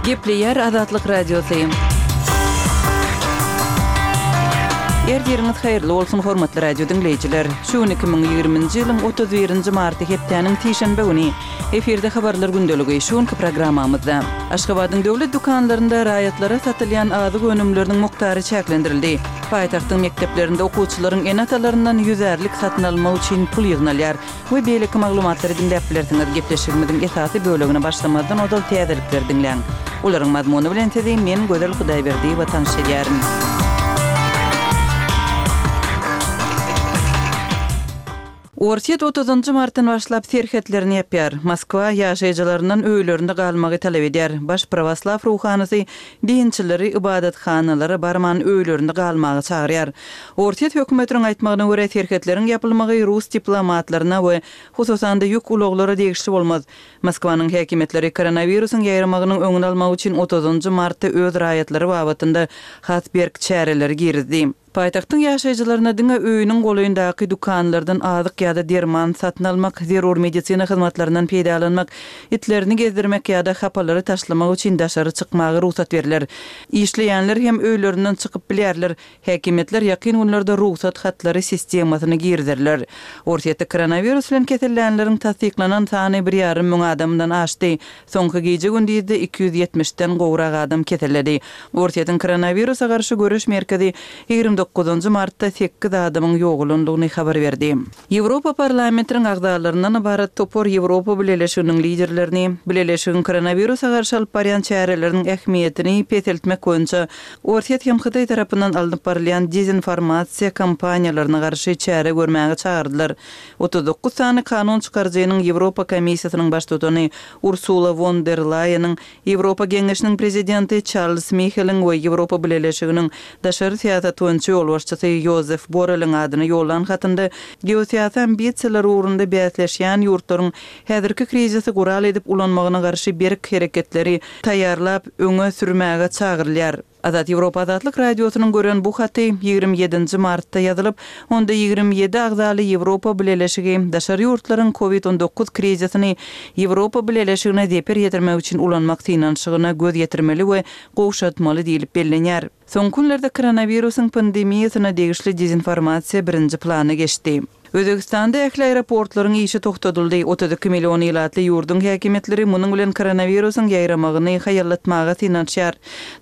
Gepleyer Azatlyk Radiosu. Yeriniz hayırlı olsun hormatly radio dinleyijiler. Şu 2020-nji ýylyň 31-nji marty hepdeniň tişenbe güni efirde habarlar gündöligi şuňky programmamyzda. Aşgabatyň döwlet dukanlarynda raýatlara satylýan azyk önümleriniň muktary çäklendirildi. Paýtagtyň mekdeplerinde okuwçylaryň enatalaryndan 100-lik satyn almak üçin pul ýygnalýar. Bu beýleki maglumatları dinläp bilersiňiz. Gepleşigimiziň esasy bölegine başlamadan odal täzelikler dinleň. Olaryň mazmuny bilen tedim men Gözel Hudaýberdi we tanışýaryň. Ortiýet 30-njy martdan başlap serhetlerini ýapýar. Moskwa ýaşaýjylarynyň öýlerinde galmagy talap edýär. Baş Prawaslaw ruhanysy dinçileri ibadathanalary barman öýlerinde galmagy çagyrýar. Ortiýet hökümetiniň aýtmagyna görä serhetlerin ýapylmagy rus diplomatlaryna we hususan da ýük uloglary degişli bolmaz. Moskwanyň häkimetleri koronawirusyň ýaýramagynyň öňüni almak üçin 30-njy martda öz raýatlary babatynda hatberk çäreleri girdi. Paýtagtyň ýaşaýjylaryna diňe öýüniň goýundaky dukanlardan azyk ýa-da derman satyn almak, zerur medisina hyzmatlarynyň peýdalanmak, itlerini gezdirmek ýa-da hapalary taşlamak üçin daşary çykmagy ruhsat beriler. Işleýänler hem öýlerinden çykyp bilýärler. Häkimetler ýakyn günlerde ruhsat hatlary sistemasyny girdirler. Ortiýetde koronavirus bilen kesellenleriň tasdiklanan sany 1,5 müň adamdan aşdy. Soňky gece gündizde 270-den gowrak adam keselledi. Ortiýetiň koronavirusa garşy görüş merkezi 29 martda 8 adamyň ýoğulundygyny habar berdi. Ýewropa parlamentiniň agzalarynyň ibaret topor Ýewropa Birleşiginiň liderlerini birleşigiň koronawirusa garşy alyp barýan çäreleriniň ähmiýetini peseltmek boýunça Ortiýet hem Hydaý tarapyndan alınıp barýan dezinformasiýa kampaniýalaryna garşy çäre görmäge çagyrdylar. 39 sany kanun çykarjynyň Ýewropa Komissiýasynyň baş tutany Ursula von der Leyen'in, Ýewropa Geňeşiniň prezidenti Charles Michel'in we Ýewropa Birleşiginiň daşary siýasat yol başçysy Josef Borrell'in adyny ýollan hatynda geosiýasy ambisiýalary ugrunda bäsleşýän ýurtlaryň häzirki krizisi gural edip ulanmagyna garşy berk hereketleri taýýarlap öňe sürmäge çagyrylýar. Azat Ýewropa Azatlyk Radiosynyň gören bu haty 27-nji martda ýazylyp, onda 27 agzaly Ýewropa Birleşigi daşary ýurtlaryň COVID-19 krizisini Ýewropa Birleşigine deper ýetirmek üçin ulanmak synanşygyna göz ýetirmeli we gowşatmaly diýilip bellenýär. Son günlerde koronawirusyň pandemiýasyna degişli dezinformasiýa birinji plana geçdi. Özbekistanda ähli aeroportlaryň işi toktatyldy. 32 million ýylatly ýurdun häkimetleri munyň bilen koronawirusyň ýaýramagyny haýallatmaga synanşýar.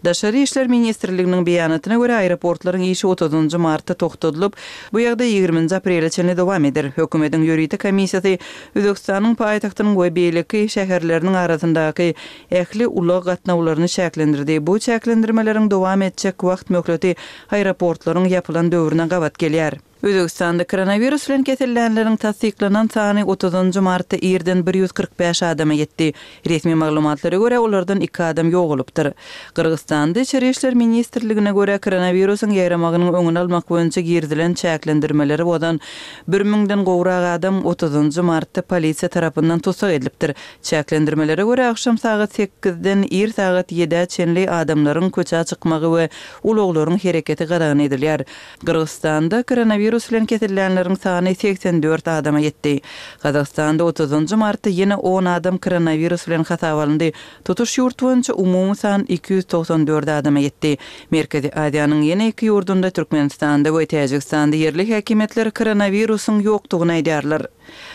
Daşary işler ministrliginiň beýanatyna görä aeroportlaryň işi 30-njy martda toktatylyp, bu ýagda 20 aprelçe dowam eder. Hökümetiň ýuridik komissiýasy Özbekistanyň paýtagtynyň we beýleki şäherleriniň arasyndaky ähli ulag gatnawlaryny şäklendirdi. Bu şäklendirmeleriň dowam etjek wagt möhleti aeroportlaryň ýapylan döwrüne gabat gelýär. Özbekistanda koronavirus bilen kesellenleriň tasdiklanan sany 30-njy martda ýerden 145 adama ýetdi. Resmi maglumatlara görä olardan 2 adam ýoğulypdyr. Kyrgyzstanda Içeri işler ministrligine görä koronavirusyň ýaýramagynyň öňüni almak boýunça girdilen çäklendirmeleri bolan 1000-den gowrak adam 30-njy martda polisiýa tarapyndan tutsak edilipdir. Çäklendirmelere görä akşam saat 8-den er saat 7-e çenli adamlaryň köçe çykmagy we uluglaryň hereketi garagan edilýär. Kyrgyzstanda koronavirus bilen kesellenleriň sany 84 adama ýetdi. Kazakstanda 30-njy martda ýene 10 adam koronavirus bilen hasap alındy. Tutuş ýurt boýunça umumy san 294 adama ýetdi. Merkezi Aziýanyň ýene 2 ýurdunda Türkmenistanda we Täjikistanda yerli häkimetler koronavirusyň ýokdugyny aýdýarlar.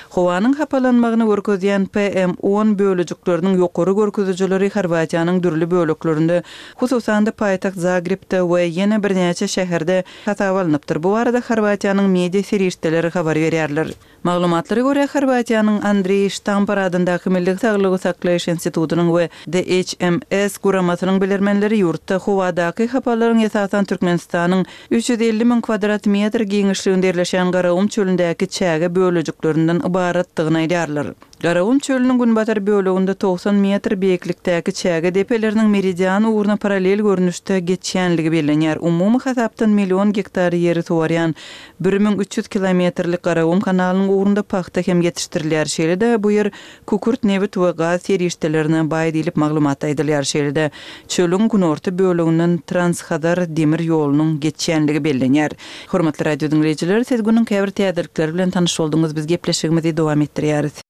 Howanyň hapalanmagyny görkezýän PM10 bölejikleriniň ýokary görkezüjileri Horwatiýanyň dürli böleklerinde, hususan da paýtagt Zagrebde we ýene birnäçe şäherde hasap alınıpdyr. Bu arada Horwatiýanyň media serişdeleri habar berýärler. Maglumatlara görä Horwatiýanyň Andrei Štampar adyndaky Milli Saglygy saklaýyş institutynyň we DHMS guramasynyň bilermenleri ýurtda howadaky hapalaryň esasan Türkmenistanyň 350 000 kvadrat metr giňişliginde ýerleşen Garawum çölündäki çäge bölejikleri ibaratdygyny aýdýarlar. Garawum çölüniň günbatar böleginde 90 metr beýiklikdäki çäge depeleriniň meridian ugruna paralel görnüşde geçýänligi bellenýär. Umumy hasapdan million hektar ýeri suwarýan 1300 kilometrlik Garawum kanalynyň ugrunda paxta hem ýetişdirilýär. Şeýle bu ýer kukurt, nebit we gaz serişdelerine baý diýilip maglumat aýdylýar. Şeýle çölüň günorta böleginden Transhadar demir ýolunyň geçýänligi bellenýär. Hormatly radio dinleyijiler, siz günüň käbir täzelikleri bilen tanyş bolduňyz. Biz gepleşigimizi dowam etdirýäris.